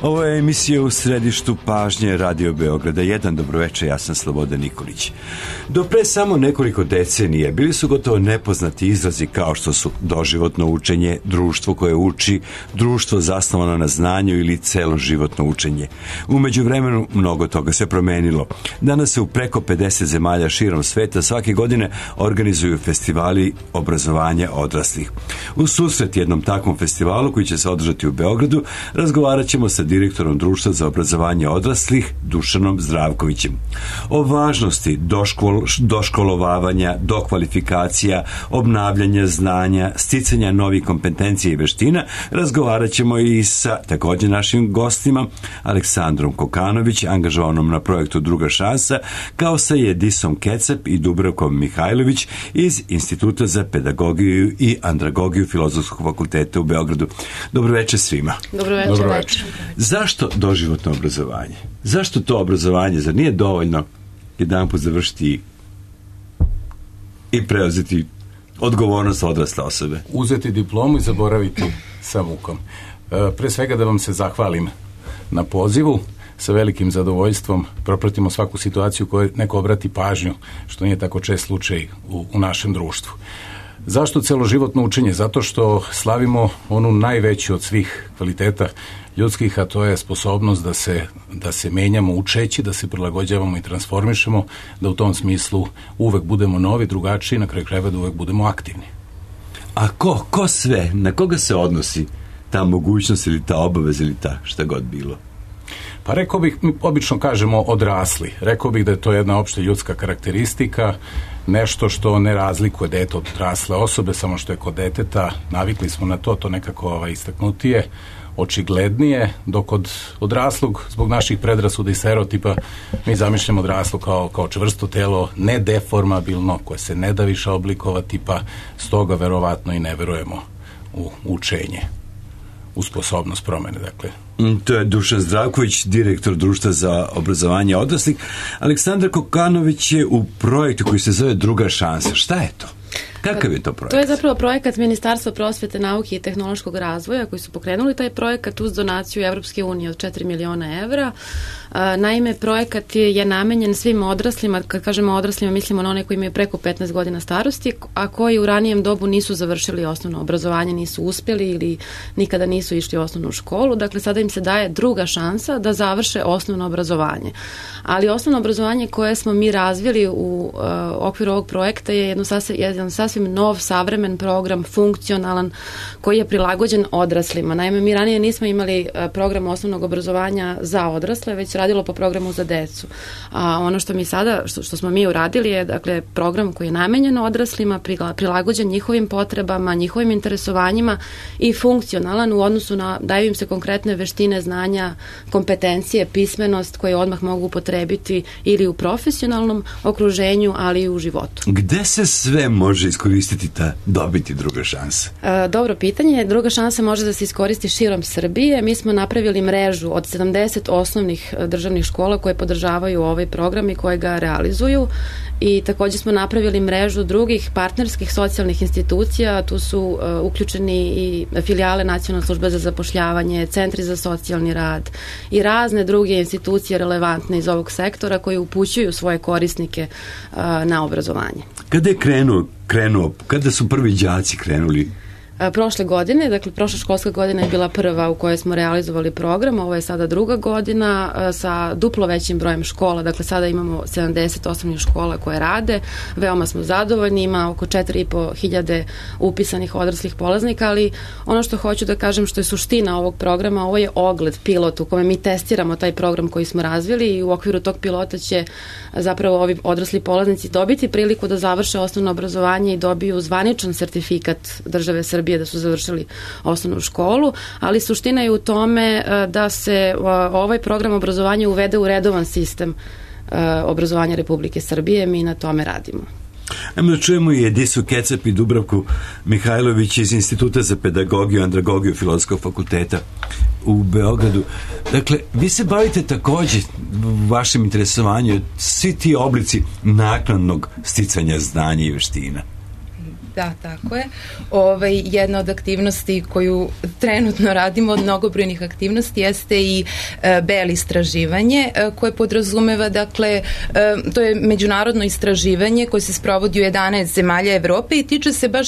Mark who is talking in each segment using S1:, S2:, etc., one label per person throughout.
S1: Ovo je emisija U središtu pažnje Radio Beograda 1. Dobroveče, ja sam Slobodan Nikolić. Do pre samo nekoliko decenije bili su gotovo nepoznati izrazi kao što su doživotno učenje, društvo koje uči, društvo zasnovano na znanju ili celoživotno učenje. U međuvremenu mnogo toga se promenilo. Danas se u preko 50 zemalja širom sveta svake godine organizuju festivali obrazovanja odraslih. U susret jednom takvom festivalu koji će se održati u Beogradu razgovarat ćemo sa direktorom Društva za obrazovanje odraslih Dušanom Zdravkovićem. O važnosti doškolovavanja, dokvalifikacija, obnavljanja znanja, sticanja novih kompetencija i veština razgovarat ćemo i sa također našim gostima Aleksandrom Kokanović, angažovanom na projektu Druga šansa, kao sa Edisom Kecep i Dubravkom Mihajlović iz Instituta za pedagogiju i andragogiju Filozofskog fakulteta u Beogradu. Dobro večer svima.
S2: Dobro večer.
S1: Zašto doživotno obrazovanje? Zašto to obrazovanje? Zar nije dovoljno jedanput završiti i preuzeti odgovornost odrasle osobe?
S3: Uzeti diplomu i zaboraviti sa mukom. Pre svega da vam se zahvalim na pozivu. Sa velikim zadovoljstvom propratimo svaku situaciju kojoj neko obrati pažnju, što nije tako čest slučaj u našem društvu. Zašto celoživotno učenje? Zato što slavimo onu najveću od svih kvaliteta ljudskih, a to je sposobnost da se menjamo učeći, da se prilagođavamo i transformišemo, da u tom smislu uvek budemo novi, drugačiji, na kraju krajeva da uvek budemo aktivni.
S1: A ko sve? Na koga se odnosi ta mogućnost ili ta obaveza ili ta šta god bilo?
S3: Pa rekao bih, mi obično kažemo odrasli. Rekao bih da je to jedna opšta ljudska karakteristika, nešto što ne razlikuje dete od odrasle osobe, samo što je kod deteta, navikli smo na to nekako istaknutije, očiglednije, dok od odraslog, zbog naših predrasuda i stereotipa, mi zamišljamo odraslo kao čvrsto telo, nedeformabilno, koje se ne da više oblikovati, pa stoga verovatno i ne verujemo u učenje, u sposobnost promene, dakle.
S1: To je Dušan Zdravković, direktor Društva za obrazovanje odraslih. Aleksandar Kokanović je u projektu koji se zove Druga šansa. Šta je to? Kakav je to projekat?
S2: To je zapravo projekat Ministarstva prosvete, nauke i tehnološkog razvoja koji su pokrenuli taj projekat uz donaciju Evropske unije od 4 miliona evra. Naime, projekat je namenjen svim odraslima, kad kažemo odraslima mislimo na one koji imaju preko 15 godina starosti, a koji u ranijem dobu nisu završili osnovno obrazovanje, nisu uspjeli ili nikada nisu išli u osnovnu školu. Dakle, sada im se daje druga šansa da završe osnovno obrazovanje. Ali osnovno obrazovanje koje smo mi razvili u okviru ovog projekta je jedan sasvim nov, savremen program, funkcionalan, koji je prilagođen odraslima. Naime, mi ranije nismo imali program osnovnog obrazovanja za odrasle, već radilo po programu za decu. A ono što mi sada, što smo mi uradili je, dakle, program koji je namenjen odraslima, prilagođen njihovim potrebama, njihovim interesovanjima i funkcionalan u odnosu na, daju im se konkretne veštine, znanja, kompetencije, pismenost koje odmah mogu upotrebiti ili u profesionalnom okruženju, ali i u životu.
S1: Gde se sve može iskoristiti dobiti druga šansa?
S2: Dobro pitanje. Druga šansa može da se iskoristi širom Srbije. Mi smo napravili mrežu od 70 osnovnih državnih škola koje podržavaju ovaj program i koje ga realizuju, i također smo napravili mrežu drugih partnerskih socijalnih institucija. Tu su uključeni i filijale Nacionalne službe za zapošljavanje, centri za socijalni rad i razne druge institucije relevantne iz ovog sektora koji upućuju svoje korisnike na obrazovanje.
S1: Kada je krenuo, kada su prvi đaci krenuli?
S2: Prošle godine, dakle prošla školska godina je bila prva u kojoj smo realizovali program, ovo je sada druga godina sa duplo većim brojem škola, dakle sada imamo 70 osnovnih škola koje rade, veoma smo zadovoljni, ima oko 4.500 upisanih odraslih polaznika, ali ono što hoću da kažem što je suština ovog programa, ovo je ogled, pilot u kome mi testiramo taj program koji smo razvili i u okviru tog pilota će zapravo ovi odrasli polaznici dobiti priliku da završe osnovno obrazovanje i dobiju zvaničan sertifikat države Srbije da su završili osnovnu školu, ali suština je u tome da se ovaj program obrazovanja uvede u redovan sistem obrazovanja Republike Srbije. Mi na tome radimo.
S1: Ajmo da čujemo i Edisu Kecep i Dubravku Mihajlović iz Instituta za pedagogiju i andragogiju Filozofskog fakulteta u Beogradu. Dakle, vi se bavite također u vašem interesovanju svi ti oblici naknadnog sticanja znanja i veština.
S4: Da, tako je. Jedna od aktivnosti koju trenutno radimo od mnogobrojnih aktivnosti jeste i BEL istraživanje koje podrazumeva, dakle, to je međunarodno istraživanje koje se sprovodi u 11 zemalja Evrope i tiče se baš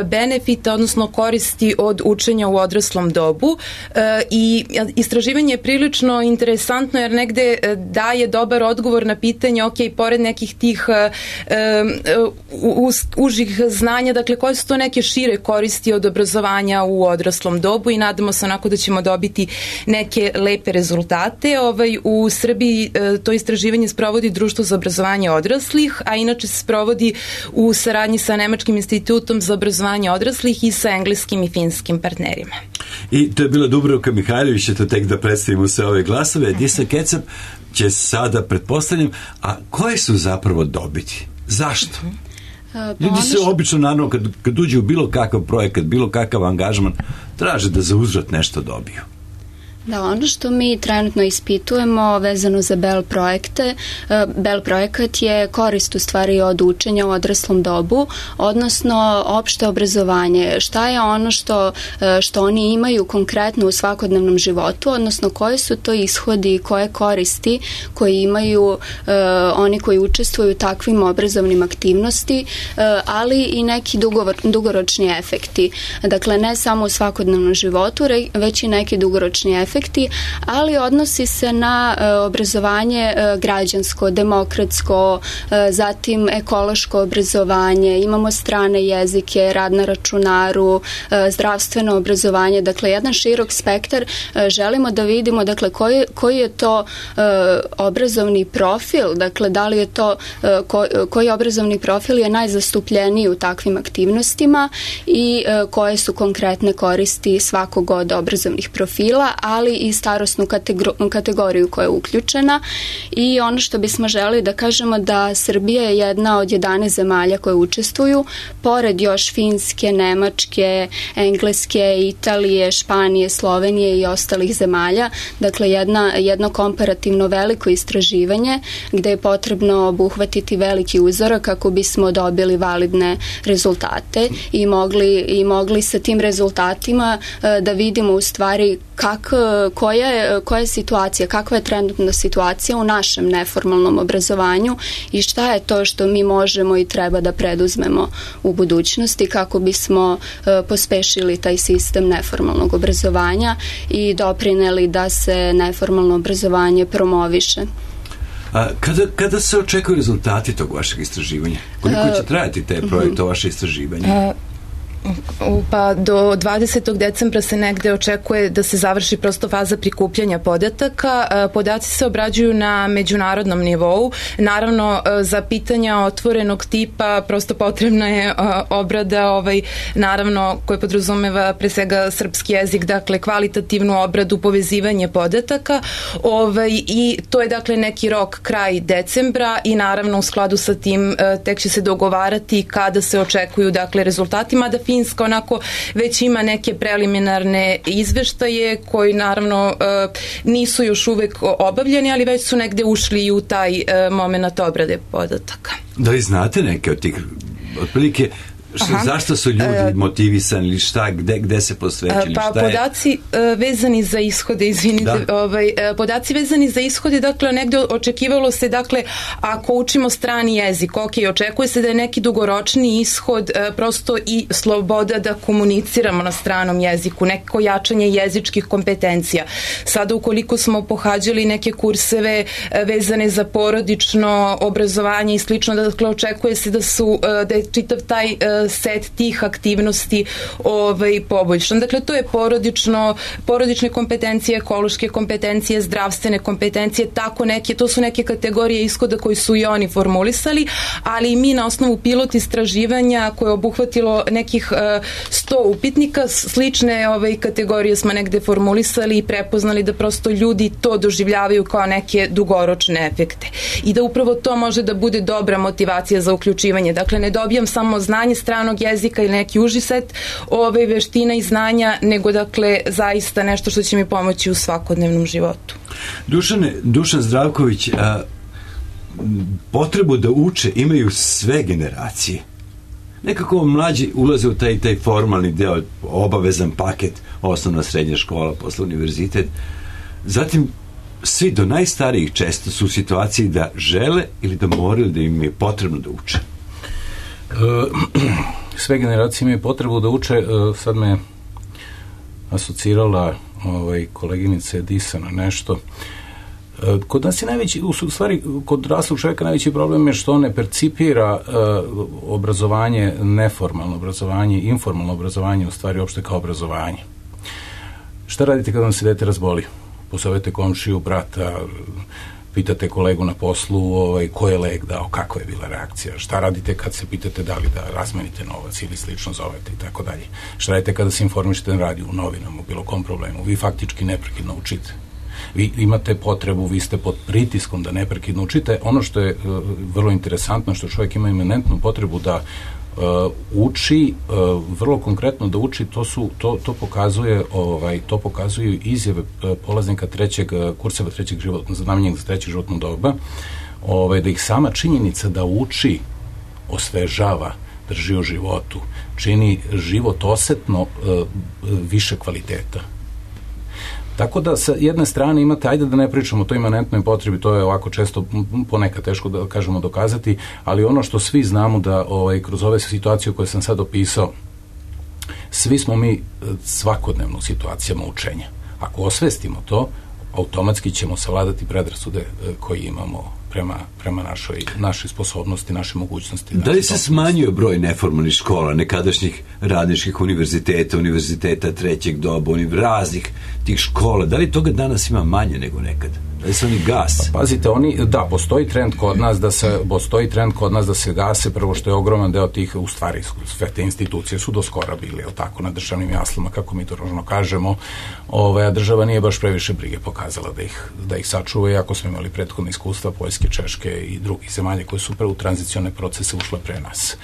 S4: benefita, odnosno koristi od učenja u odraslom dobu i istraživanje je prilično interesantno jer negde daje dobar odgovor na pitanje, ok, pored nekih tih užih znanja, dakle, koje su to neke šire koristi od obrazovanja u odraslom dobu i nadamo se onako da ćemo dobiti neke lepe rezultate. U Srbiji to istraživanje sprovodi Društvo za obrazovanje odraslih, a inače se sprovodi u saradnji sa Nemačkim institutom za obrazovanje odraslih i sa engleskim i finskim partnerima.
S1: I to je bila Dubravka Mihajlović, eto tek da predstavimo sve ove glasove. Disa Kecap će sada, pretpostavljam, a koje su zapravo dobiti? Zašto? Ljudi se obično, naravno, kad uđe u bilo kakav projekat, bilo kakav angažman, traže da za uzvrat nešto dobiju.
S5: Da, ono što mi trenutno ispitujemo vezano za BEL projekte, BEL projekat je korist u stvari od učenja u odraslom dobu, odnosno opšte obrazovanje. Šta je ono što oni imaju konkretno u svakodnevnom životu, odnosno koje su to ishodi i koje koristi koji imaju oni koji učestvuju u takvim obrazovnim aktivnosti, ali i neki dugoročni efekti. Dakle, ne samo u svakodnevnom životu, već i neki dugoročni efekti, ali odnosi se na obrazovanje građansko, demokratsko, zatim ekološko obrazovanje, imamo strane jezike, rad na računaru, zdravstveno obrazovanje, dakle jedan širok spektar. Želimo da vidimo, dakle, koji je to obrazovni profil, dakle da li je to koji obrazovni profil je najzastupljeniji u takvim aktivnostima i koje su konkretne koristi svakog od obrazovnih profila, ali i starosnu kategoriju koja je uključena. I ono što bismo želeli da kažemo da Srbija je jedna od 11 zemalja koje učestvuju, pored još Finske, Nemačke, Engleske, Italije, Španije, Slovenije i ostalih zemalja. Dakle, jedno komparativno veliko istraživanje gde je potrebno obuhvatiti veliki uzorak kako bismo dobili validne rezultate i mogli sa tim rezultatima da vidimo u stvari koja je situacija, kakva je trenutna situacija u našem neformalnom obrazovanju i šta je to što mi možemo i treba da preduzmemo u budućnosti kako bismo pospešili taj sistem neformalnog obrazovanja i doprineli da se neformalno obrazovanje promoviše.
S1: A kada se očekuju rezultati tog vašeg istraživanja? Koliko će trajati te projekte, vaše istraživanje?
S4: Pa do 20. decembra se negde očekuje da se završi prosto faza prikupljanja podataka. Podaci se obrađuju na međunarodnom nivou. Naravno, za pitanja otvorenog tipa prosto potrebna je obrada, naravno, koja podrazumeva pre svega srpski jezik, dakle kvalitativnu obradu, povezivanje podataka i to je dakle neki rok kraj decembra i naravno u skladu sa tim tek će se dogovarati kada se očekuju dakle rezultatima, da Finska onako već ima neke preliminarne izveštaje koji naravno nisu još uvek obavljeni, ali već su negde ušli i u taj moment obrade podataka.
S1: Da li znate neke od tih otprilike zašto su ljudi motivisani ili šta, gde se posvećili, šta je?
S4: Podaci vezani za ishode, podaci vezani za ishode, dakle, negde očekivalo se, dakle, ako učimo strani jezik, očekuje se da je neki dugoročni ishod prosto i sloboda da komuniciramo na stranom jeziku, neko jačanje jezičkih kompetencija. Sada, ukoliko smo pohađali neke kurseve vezane za porodično obrazovanje i slično, dakle, očekuje se da je čitav taj set tih aktivnosti poboljšan. Dakle, to je porodične kompetencije, ekološke kompetencije, zdravstvene kompetencije, to su neke kategorije ishoda koji su i oni formulisali, ali i mi na osnovu pilot istraživanja koje je obuhvatilo nekih 100 upitnika, slične kategorije smo negde formulisali i prepoznali da prosto ljudi to doživljavaju kao neke dugoročne efekte. I da upravo to može da bude dobra motivacija za uključivanje. Dakle, ne dobijam samo znanje stranog jezika ili neki uži set veština i znanja, nego dakle zaista nešto što će mi pomoći u svakodnevnom životu.
S1: Dušan Zdravković, potrebu da uče imaju sve generacije. nekako mlađi ulaze u taj formalni deo, obavezan paket, osnovna srednja škola, posle univerzitet. Zatim, svi do najstarijih često su u situaciji da žele ili da moraju, da im je potrebno da uče.
S3: Sve generacije imaju potrebu da uče. Sad me asocirala koleginica Edisa na nešto. Kod nas je najveći, u stvari kod odraslog čovjeka najveći problem je što on ne percipira obrazovanje, neformalno obrazovanje, informalno obrazovanje u stvari uopšte kao obrazovanje. Šta radite kada vam se dete razboli? Pozovete komšiju, brata, pitate kolegu na poslu ko je lek dao, kakva je bila reakcija, šta radite kad se pitate da li da razmenite novac ili slično zovete i tako dalje. Šta radite kada se informišete na radiju, u novinama, u bilo kom problemu. Vi faktički neprekidno učite. Vi imate potrebu, vi ste pod pritiskom da neprekidno učite. Ono što je vrlo interesantno, što čovjek ima imanentnu potrebu da uči, vrlo konkretno da uči, to pokazuju izjave polaznika kurseva trećeg životnog, namenjenih za trećeg životnog doba, da ih sama činjenica da uči osvežava, drži u životu, čini život osetno više kvaliteta. Tako da sa jedne strane imate, ajde da ne pričamo o toj imanentnoj potrebi, to je ovako često ponekad teško da kažemo dokazati, ali ono što svi znamo da kroz ove situacije koje sam sad opisao, svi smo mi svakodnevno u situacijama učenja. Ako osvestimo to, automatski ćemo savladati predrasude koje imamo prema našoj sposobnosti, naše mogućnosti.
S1: Da li se smanjio broj neformalnih škola, nekadašnjih radničkih univerziteta trećeg doba, raznih tih škola? Da li toga danas ima manje nego nekad? Da li se oni gase?
S3: Pa, pazite, postoji trend kod nas da se gase, prvo što je ogroman deo tih, u stvari sve te institucije su do skora bili, na državnim jaslama, kako mi to ružno kažemo, a država nije baš previše brige pokazala da ih sačuva, iako smo imali prethodne iskustva Poljske, Češke i drugih zemalja koje su u tranzicione procese ušle pre nas.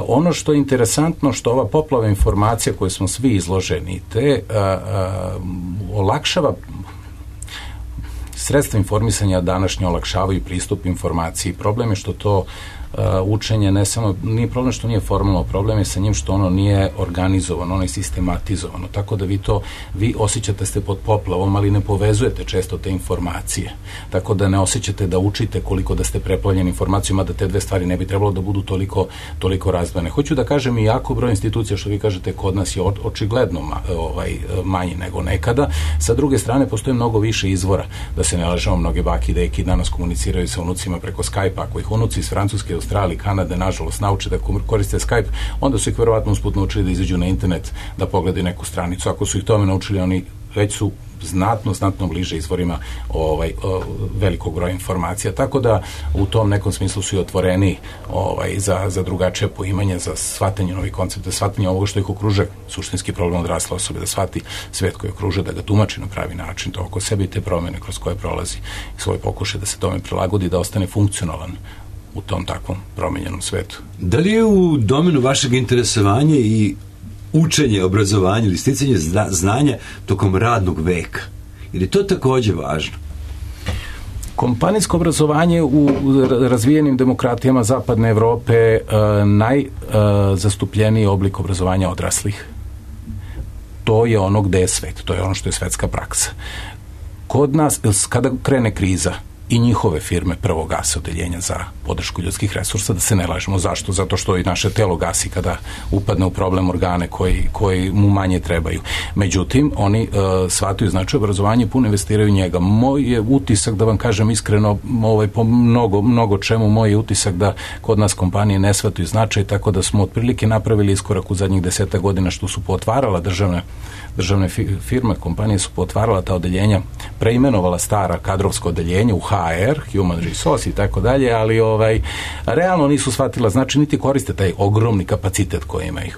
S3: Ono što je interesantno, što ova poplava informacija koje smo svi izloženi, te olakšava sredstva informisanja današnje olakšavaju pristup informaciji. Problem je što to učenje nije problem što nije formalno, problem je sa njim što ono nije organizovano, ono je sistematizovano, tako da vi osjećate ste pod poplavom, ali ne povezujete često te informacije, tako da ne osjećate da učite koliko da ste preplavljeni informacijama, da te dve stvari ne bi trebalo da budu toliko razdvojene. Hoću da kažem i jako broj institucija, što vi kažete, kod nas je očigledno manji nego nekada. Sa druge strane, postoje mnogo više izvora, da se ne lažemo, mnoge baki i deki danas komuniciraju sa unucima preko Skype-a, ako ih unuci iz Francuske, Australije, Kanade, nažalost, nauče da koriste Skype, onda su ih verovatno usput naučili da izađu na internet, da pogledaju neku stranicu. Ako su ih tome naučili, oni već su znatno bliže izvorima velikog broja informacija, tako da u tom nekom smislu su i otvoreni za drugačije poimanje, za shvatanje novih koncepta, shvatanje ovoga što ih okruže, suštinski problem odrasle osobe, da shvati svet koji okruže, da ga tumači na pravi način, to oko sebe i te promene kroz koje prolazi i svoj pokušaj da se tome prilagodi, da ostane funkcionalan u tom takvom promenjenom svetu.
S1: Da li je u domenu vašeg interesovanja i učenje, obrazovanje ili sticanje znanja tokom radnog veka? Jer je to takođe važno?
S3: Kompanijsko obrazovanje u razvijenim demokratijama Zapadne Evrope najzastupljeniji oblik obrazovanja odraslih. To je ono gde je svet, to je ono što je svetska praksa. Kod nas, kada krene kriza, i njihove firme prvo gase odeljenja za podršku ljudskih resursa, da se ne lažemo. Zašto? Zato što i naše telo gasi kada upadne u problem organe koji mu manje trebaju. Međutim, oni shvataju značaj obrazovanja i puno investiraju njega. Moj je utisak, da vam kažem iskreno, po mnogo čemu, moj je utisak da kod nas kompanije ne shvataju značaj, tako da smo otprilike napravili iskorak u zadnjih 10 godina što su potvarala državne firme, kompanije su potvarala ta odeljenja, preimenovala stara kadrovsko odeljenje u HR, Human Resource i tako dalje, ali realno nisu shvatila, znači niti koriste taj ogromni kapacitet koji imaju.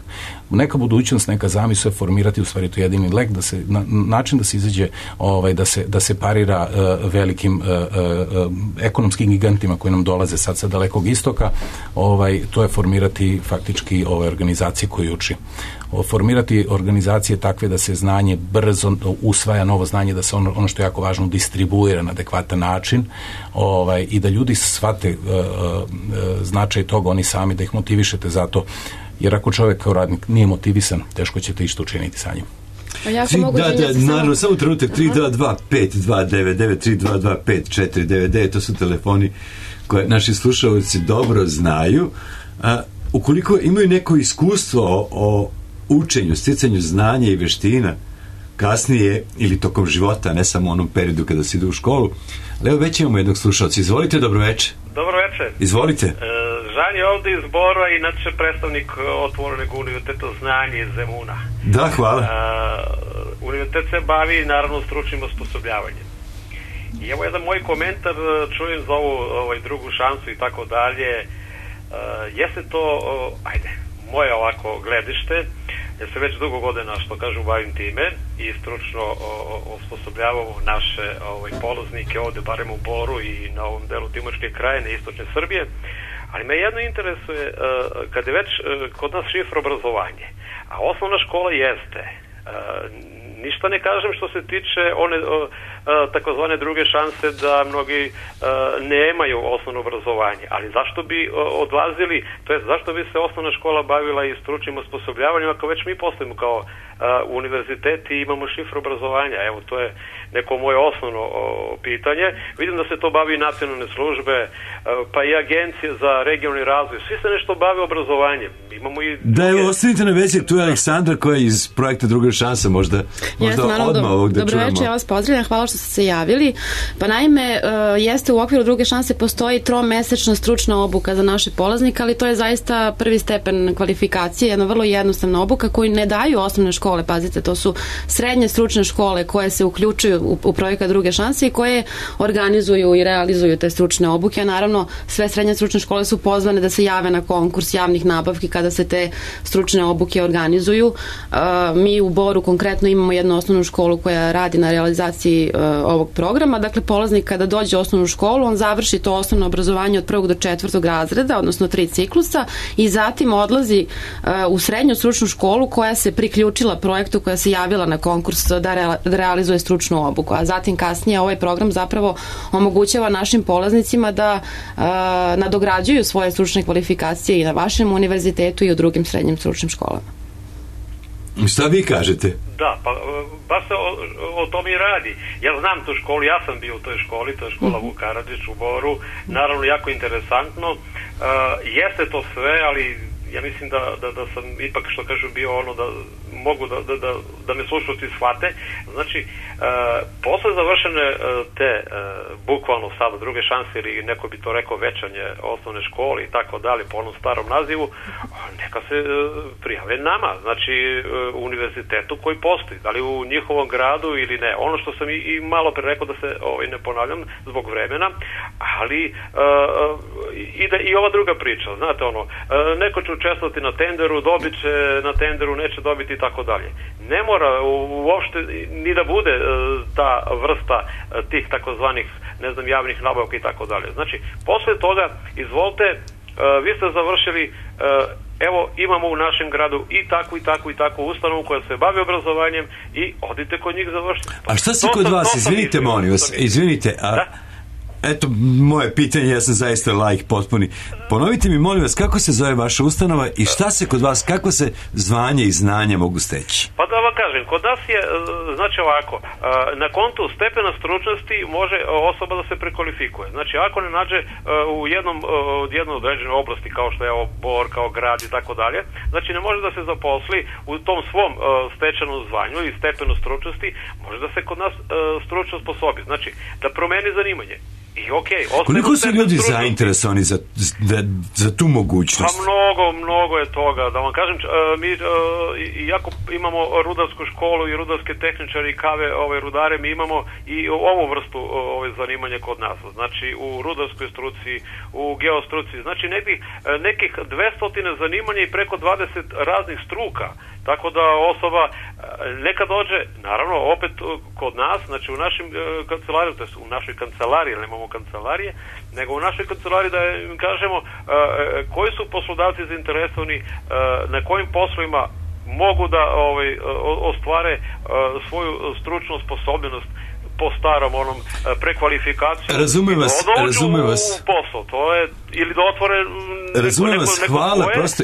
S3: Neka budućnost, neka zamisao je formirati u stvari to jedini lek, način da se izađe, da se parira velikim ekonomskim gigantima koji nam dolaze sad sa dalekog istoka, to je formirati faktički ove organizacije koji uči formirati organizacije takve da se znanje brzo usvaja, novo znanje, da se ono što je jako važno distribuira na adekvatan način, i da ljudi shvate značaj toga oni sami, da ih motivišete za to, jer ako čovjek kao radnik nije motivisan, teško ćete išta učiniti sa njim.
S1: Naravno, samo trenutak, 322-529-322-5499, to su telefoni koje naši slušalci dobro znaju. Ukoliko imaju neko iskustvo o učenju, sticanju znanja i veština kasnije ili tokom života, ne samo u onom periodu kada se ide u školu, ali evo već imamo jednog slušalca. Izvolite, dobroveče.
S6: Dobroveče.
S1: Izvolite.
S6: Žan je ovdje iz Bora i inače predstavnik Otvorenog univerziteta znanja iz Zemuna.
S1: Da, hvala.
S6: Univerzitet se bavi naravno stručnim osposobljavanjem. I evo jedan moj komentar, čujem za ovu drugu šansu i tako dalje. Jeste to, moje ovako gledište, jer se već dugo godina, što kažu, bavim time i stručno osposobljavamo naše polaznike ovde, barem u Boru i na ovom delu Timočke krajine, istočne Srbije, ali me jedno interesuje, kad je već kod nas šifra obrazovanje, a osnovna škola jeste, ništa ne kažem što se tiče one takozvane druge šanse da mnogi nemaju osnovno obrazovanje, ali zašto bi odlazili, to jest zašto bi se osnovna škola bavila i stručnim osposobljavanjem ako već mi postojimo kao univerzitet i imamo šifru obrazovanja? Evo, to je neko moje osnovno pitanje. Vidim da se to bavi i nacionalne službe, pa i agencije za regionalni razvoj. Svi se nešto bave obrazovanjem. Imamo i
S1: da, evo, ostanite na vezi, tu je Aleksandra koja je iz projekta Druga šansa, možda odmah ovog da čujemo.
S2: Dobroveče, ja vas pozdravljam, hvala što ste se javili. Pa naime, jeste u okviru Druge šanse postoji 3-mesečna stručna obuka za naše polaznike, ali to je zaista prvi stepen kvalifikacije, jedna vrlo jednostavna obuka koju ne daju osnovne škole, pazite, to su srednje stručne škole koje se uključuju u projekat Druge šanse i koje organizuju i realizuju te stručne obuke, a naravno sve srednje stručne škole su pozvane da se jave na konkurs javnih nabavki kada se te stručne obuke organizuju. Mi u Boru konkretno imamo jednu osnovnu školu koja radi na realizaciji ovog programa. Dakle, polaznik kada dođe u osnovnu školu, on završi to osnovno obrazovanje od 1. do 4. razreda, odnosno 3 ciklusa, i zatim odlazi u srednju stručnu školu koja se priključila projektu, koja se javila na konkurs da realizuje stručnu obuku. A zatim kasnije ovaj program zapravo omogućava našim polaznicima da nadograđuju svoje stručne kvalifikacije i na vašem univerzitetu i u drugim srednjim stručnim školama.
S1: Šta vi kažete?
S6: Da, pa baš se o tom i radi. Ja znam tu školu, ja sam bio u toj školi, to je škola Vuk Karadžić u Boru, naravno jako interesantno. Jeste to sve, ali ja mislim da sam ipak, što kažu, bio ono da mogu da me slušalci shvate. Znači, posle završene te bukvalno sada Druge šanse, ili neko bi to rekao večanje osnovne škole i tako dalje po onom starom nazivu, neka se prijave nama, znači univerzitetu koji postoji, da li u njihovom gradu ili ne. Ono što sam i malo pre rekao, da se ne ponavljam zbog vremena, ali ide i ova druga priča, znate ono, neko će učestvovati na tenderu, dobit će na tenderu, neće dobiti i tako dalje. Ne mora uopšte ni da bude ta vrsta tih takozvanih, ne znam, javnih nabavka i tako dalje. Znači, posle toga, izvolite, vi ste završili, evo, imamo u našem gradu i takvu ustanovu koja se bavi obrazovanjem i odite kod njih završiti.
S1: A šta se kod vas, izvinite, molim vas, izvinite, eto, moje pitanje, ja sam zaista laik potpuni. Ponovite mi, molim vas, kako se zove vaša ustanova i šta se kod vas, kako se zvanje i znanje mogu steći?
S6: Pa da vam kažem, kod nas je, znači ovako, na kontu stepena stručnosti može osoba da se prekvalifikuje. Znači, ako ne nađe u jednoj određenoj oblasti, kao što je ovo Bor, kao grad i tako dalje, znači ne može da se zaposli u tom svom stečenom zvanju i stepenu stručnosti, može da se kod nas stručno sposobi. Znači, da promeni zanimanje.
S1: Koliko su ljudi zainteresovani za tu mogućnost?
S6: Pa mnogo je toga. Da vam kažem, mi iako imamo rudarsku školu i rudarske tehničare i kave rudare, mi imamo i ovu vrstu zanimanja kod nas. Znači u rudarskoj struci, u geostruci, znači nekih 200 zanimanja i preko 20 raznih struka. Tako da osoba neka dođe, naravno, opet kod nas, znači u našim kancelariji, to je u našoj kancelariji, nemamo kancelarije, nego u našoj kancelariji da im kažemo koji su poslodavci zainteresovani, na kojim poslovima mogu da ostvare svoju stručnu sposobnost po starom onom prekvalifikaciju.
S1: Razumem vas.
S6: U posao, to je, ili da otvore
S1: razumem vas, hvala, prosto,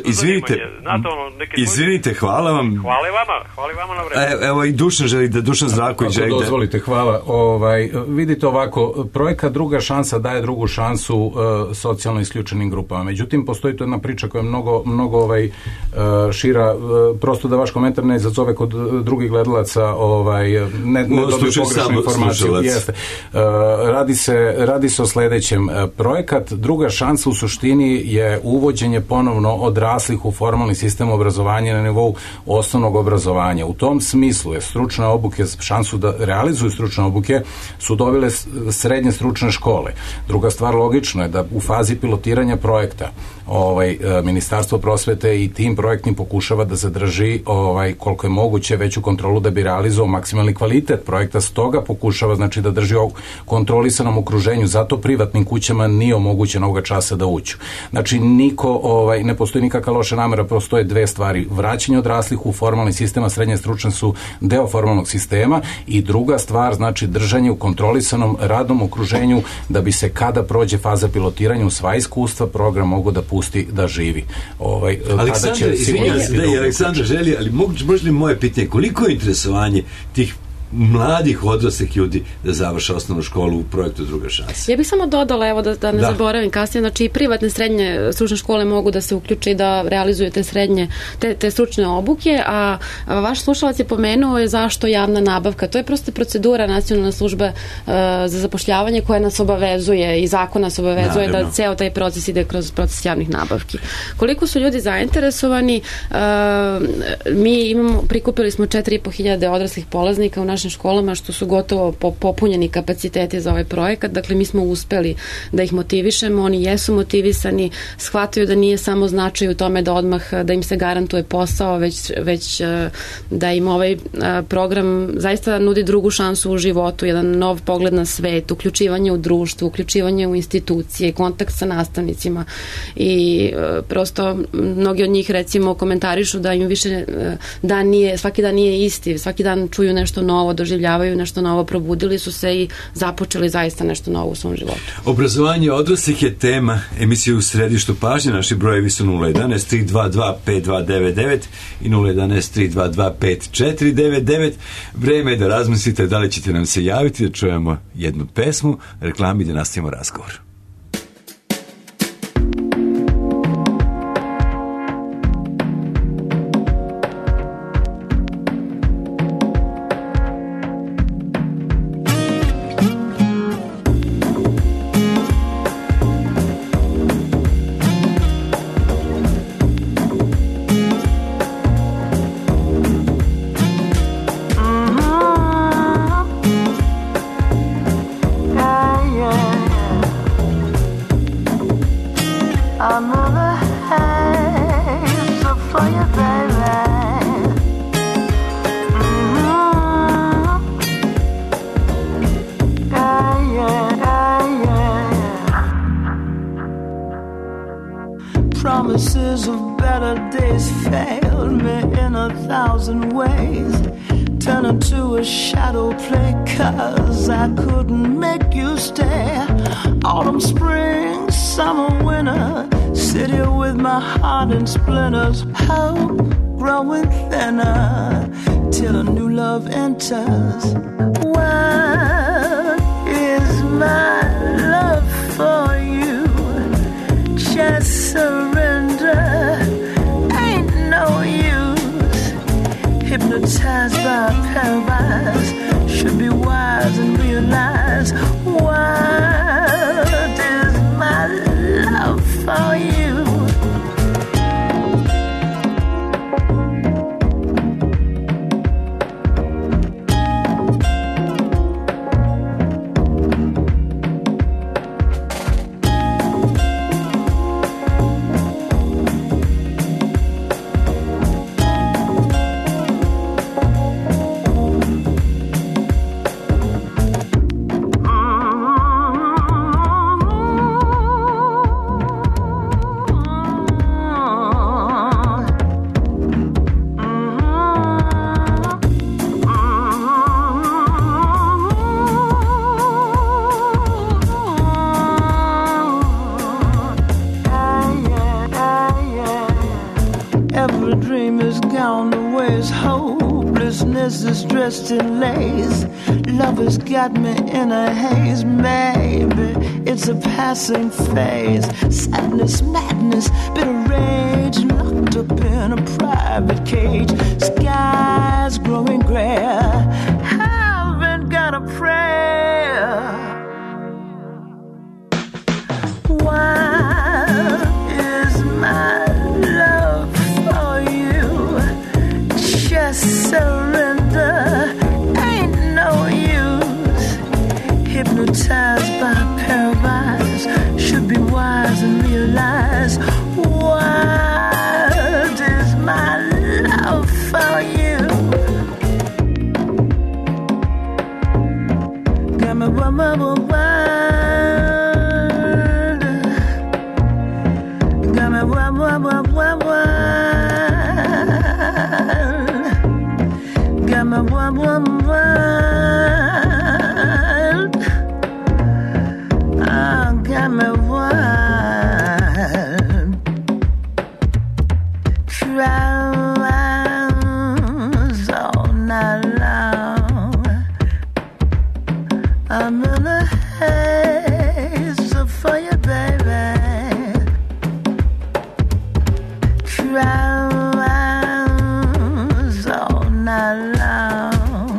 S1: izvinite, hvala vam.
S6: Hvala vama na vremenu.
S1: Evo i Dušan želi da, Dušan Zdravković želi da...
S3: Dozvolite, hvala. Vidite ovako, projekat Druga šansa daje drugu šansu socijalno isključenim grupama. Međutim, postoji tu jedna priča koja je mnogo šira, prosto da vaš komentar ne izazove kod drugih gledalaca, ne dobiju pogrešnu informaciju. Jeste. Radi se o sledećem. Projekat Druga šansa u suštini je uvođenje ponovno odraslih u formalni sistem obrazovanja na nivou osnovnog obrazovanja. U tom smislu je stručne obuke, šansu da realizuju stručne obuke su dobile srednje stručne škole. Druga stvar, logično je da u fazi pilotiranja projekta Ministarstvo prosvete i tim projektnim pokušava da zadrži koliko je moguće veću kontrolu da bi realizovao maksimalni kvalitet projekta, stoga pokušava znači da drži u kontrolisanom okruženju, zato privatnim kućama nije omogućeno ovoga časa da uđu. Znači ne postoji nikakva loša namera, postoje dve stvari: vraćanje odraslih u formalni sistem, a srednje stručne su deo formalnog sistema, i druga stvar, znači držanje u kontrolisanom radnom okruženju da bi se kada prođe faza pilotiranja u sva iskustva program mogu da pusti da živi.
S1: Aleksandar želi, ali može li moje pitanje, koliko je interesovanje tih mladih odraslih ljudi da završe osnovnu školu u projektu Druga šansa?
S2: Ja bih samo dodala, evo da ne zaboravim kasnije, znači i privatne srednje stručne škole mogu da se uključe i da realizuju te srednje, te stručne obuke, a vaš slušalac je pomenuo je zašto javna nabavka. To je prosto procedura Nacionalne službe za zapošljavanje koja nas obavezuje i zakon nas obavezuje da ceo taj proces ide kroz proces javnih nabavki. Koliko su ljudi zainteresovani, mi prikupili smo 4.500 odraslih polaznika u našim školama, što su gotovo popunjeni kapaciteti za ovaj projekat. Dakle, mi smo uspeli da ih motivišemo, oni jesu motivisani, shvataju da nije samo značaj u tome da odmah da im se garantuje posao, već da im ovaj program zaista nudi drugu šansu u životu, jedan nov pogled na svet, uključivanje u društvo, uključivanje u institucije, kontakt sa nastavnicima, i prosto mnogi od njih recimo komentarišu da im više svaki dan nije isti, svaki dan čuju nešto novo, doživljavaju nešto novo, probudili su se i započeli zaista nešto novo u svom životu.
S1: Obrazovanje odraslih je tema emisije U središtu pažnje. Naši brojevi su 011 322 5299 i 011 322 5499. Vreme je da razmislite da li ćete nam se javiti, da čujemo jednu pesmu, reklami, da nastavimo razgovor.
S7: Promises of better days failed me in 1,000 ways, turning to a shadow play 'cause I couldn't make you stay. Autumn, spring, summer, winter, sit here with my heart in splinters, hope growing thinner till a new love enters. What is my love for you? Just surrender, ain't no use. Hypnotized by paradise, should be wise and realize what is my love for you. gown that wears hopelessness is dressed in lace. Love has got me in a haze. Maybe it's a passing phase. Sadness, madness, bitter rage, locked up in a private cage. Skies growing grayer, haven't got a prayer. Why is my love for you? Just surrender, ain't no use. Hypnotized by paralyzed, should be wise and realize. What is my love for you? Got me wild. Got me wild. Got me wild. Oh, got me wild. Tries all night long. I'm in a haze for you, baby. Tries all night long.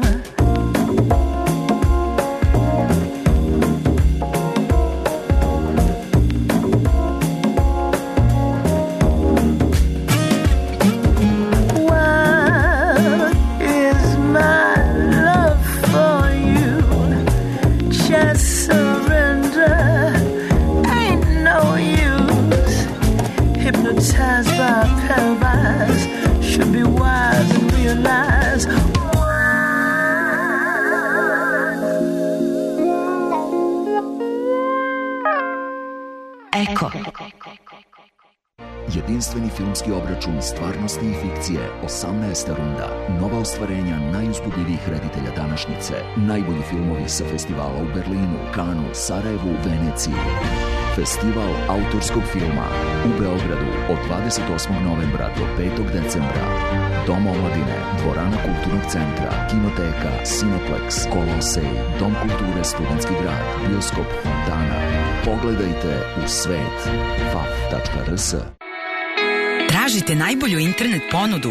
S7: What is my love for you? Just surrender, ain't no use. Hypnotized by paralyzed, should be wise and realize.
S8: Eko. Jedinstveni filmski obračun stvarnosti i fikcije, 18. runda. Nova ostvarenja najuzbudljivijih reditelja današnjice. Najbolji filmovi sa festivala u Berlinu, Kanu, Sarajevu, Veneciji. Festival autorskog filma u Beogradu od 28. novembra do 5. decembra. Dom omladine, dvorana kulturnog centra, kinoteka, Cineplex, Kolosej, Dom kulture Studentski grad, bioskop Fontana. Pogledajte u svet faf.rs.
S9: Tražite najbolju internet ponudu?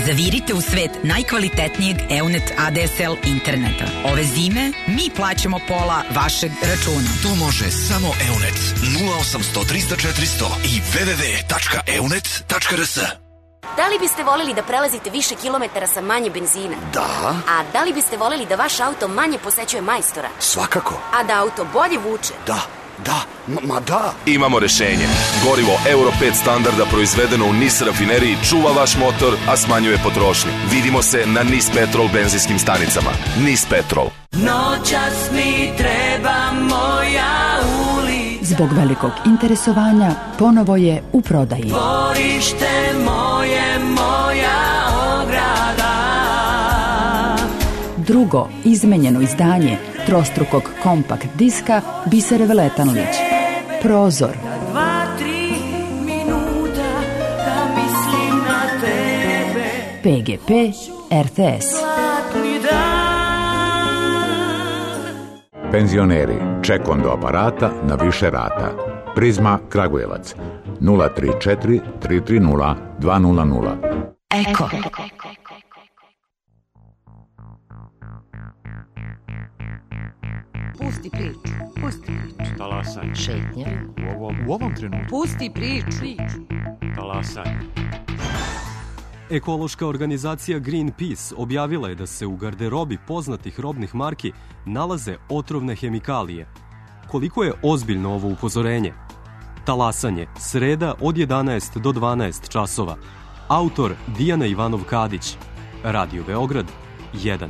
S9: Zavirite u svet najkvalitetnijeg EUNET ADSL interneta. Ove zime mi plaćamo pola vašeg računa.
S10: To može samo EUNET 0800 300 400 i www.eunet.rs.
S11: Da li biste voleli da prelazite više kilometara sa manje benzina?
S10: Da.
S11: A da li biste voleli da vaš auto manje posećuje majstora?
S10: Svakako.
S11: A da auto bolje vuče?
S10: Da. Da. Imamo rešenje. Gorivo Euro 5 standarda proizvedeno u NIS rafineriji čuva vaš motor, a smanjuje potrošnju. Vidimo se na NIS Petrol benzinskim stanicama. NIS Petrol.
S7: Noćas mi treba moja ulica.
S12: Zbog velikog interesovanja ponovo je u prodaji.
S7: Dvorište moje, moja ograda.
S12: Drugo izmenjeno izdanje trostrukog kompakt diska Bisere Veletanlić. Prozor.
S7: 2-3 minuta da mislim na tebe.
S12: PGP RTS.
S13: Penzioneri, ček do aparata na više rata. Prizma Kragujevac 034 330 200.
S8: Eko.
S14: Pusti priču.
S15: Talasaj.
S14: Šetnje.
S15: U ovom trenutku.
S14: Pusti priču.
S15: Talasaj.
S16: Ekološka organizacija Greenpeace objavila je da se u garderobi poznatih robnih marki nalaze otrovne hemikalije. Koliko je ozbiljno ovo upozorenje? Talasanje, sreda od 11 do 12 časova. Autor Dijana Ivanov-Kadić. Radio Beograd 1.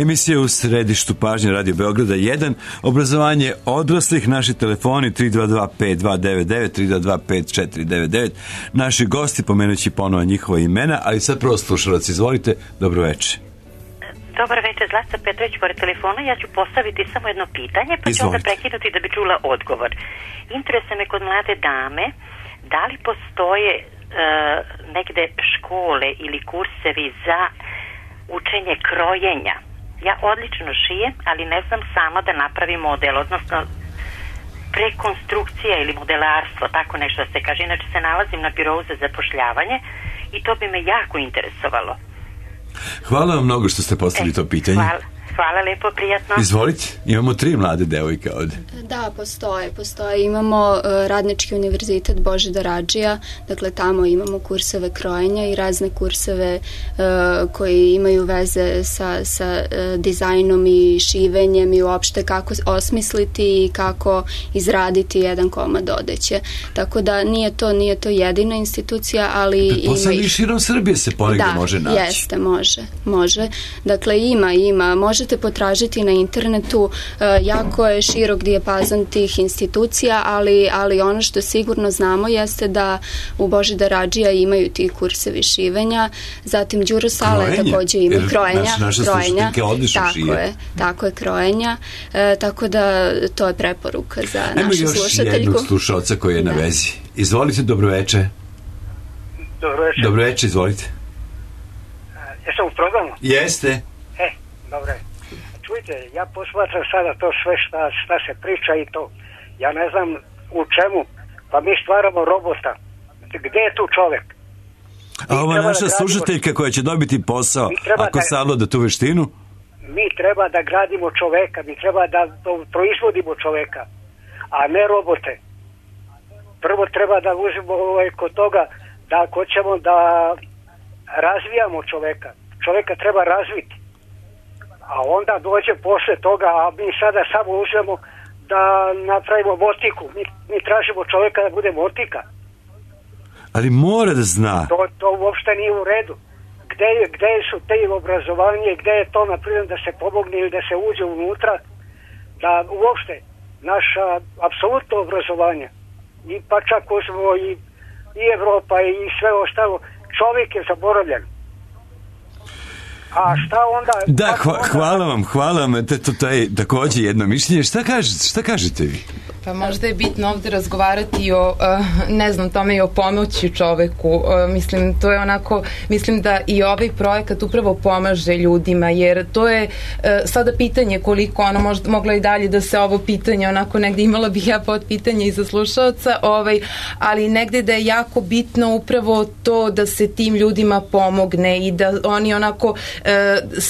S1: Emisija u središtu pažnje Radio Beograda 1, obrazovanje odraslih, naši telefoni 322-5299, 322-5499, naši gosti, pomenući ponovo njihova imena, ali sad prvo slušalac, izvolite, dobro večer.
S14: Dobar večer, Zlata Petrović pored telefona. Ja ću postaviti samo jedno pitanje, pa ću onda prekinuti da bi čula odgovor. Interesuje me kod mlade dame, da li postoje negde škole ili kursevi za učenje krojenja? Ja odlično šijem, ali ne znam sama da napravim model, odnosno prekonstrukcija ili modelarstvo, tako nešto se kaže. Inače se nalazim na birou za zapošljavanje i to bi me jako interesovalo.
S1: Hvala vam mnogo što ste postavili to pitanje.
S14: Hvala lepo, prijatno.
S1: Izvolite, imamo 3 mlade devojke ovde.
S5: Da, postoje. Imamo Radnički univerzitet Božidar Radžija, dakle tamo imamo kurseve krojenja i razne kurseve koji imaju veze sa dizajnom i šivenjem i uopšte kako osmisliti i kako izraditi jedan komad odeće. Tako da nije to jedina institucija, ali ima
S1: i širom Srbije se ponegde može naći.
S5: Da, jeste, može. Dakle, ima. Možete potražiti na internetu, jako je širok dijapazon tih institucija, ali ono što sigurno znamo jeste da u Božidar Radžija imaju ti kursevi šivenja, zatim Đuro Sale takođe ima krojenja.
S1: Naša slušateljka odlično šije.
S5: Tako je, krojenja. Tako da to je preporuka za našu slušateljku.
S1: Ajmo još jednog slušalca koji je na vezi. Izvolite, dobroveče. Dobroveče, izvolite.
S17: Jesam u programu?
S1: Jeste.
S17: Dobro je. Čujte, ja posmatram sada to sve šta se priča i to. Ja ne znam u čemu, pa mi stvaramo robota. Gde je tu čovek?
S1: A ova naša slušateljka koja će dobiti posao, ako savlada tu veštinu?
S17: Mi treba da gradimo čoveka, mi treba da proizvodimo čoveka, a ne robote. Prvo treba da uzmemo kod toga da ako ćemo da razvijamo čoveka, čoveka treba razviti. A onda dođe posle toga, a mi sada samo uzmemo da napravimo motiku. Mi tražimo čoveka da bude motika.
S1: Ali mora da zna.
S17: To uopšte nije u redu. Gde su te obrazovanje, gde je to, naprimjer, da se pomogne ili da se uđe unutra, da uopšte naša apsolutno obrazovanje, i pa čak uzmemo i Evropa i sve ostalo, čovjek je zaboravljen. A šta onda...
S1: Da, hvala vam. To je takođe jedno mišljenje. Šta kažete vi?
S4: Pa možda je bitno ovde razgovarati o, ne znam, tome i o pomoći čoveku. Mislim, to je onako, mislim da i ovaj projekat upravo pomaže ljudima, jer to je sada pitanje koliko ono možda mogla i dalje da se ovo pitanje, onako negde imala bih ja pod pitanje i za slušalca, ali negde da je jako bitno upravo to da se tim ljudima pomogne i da oni onako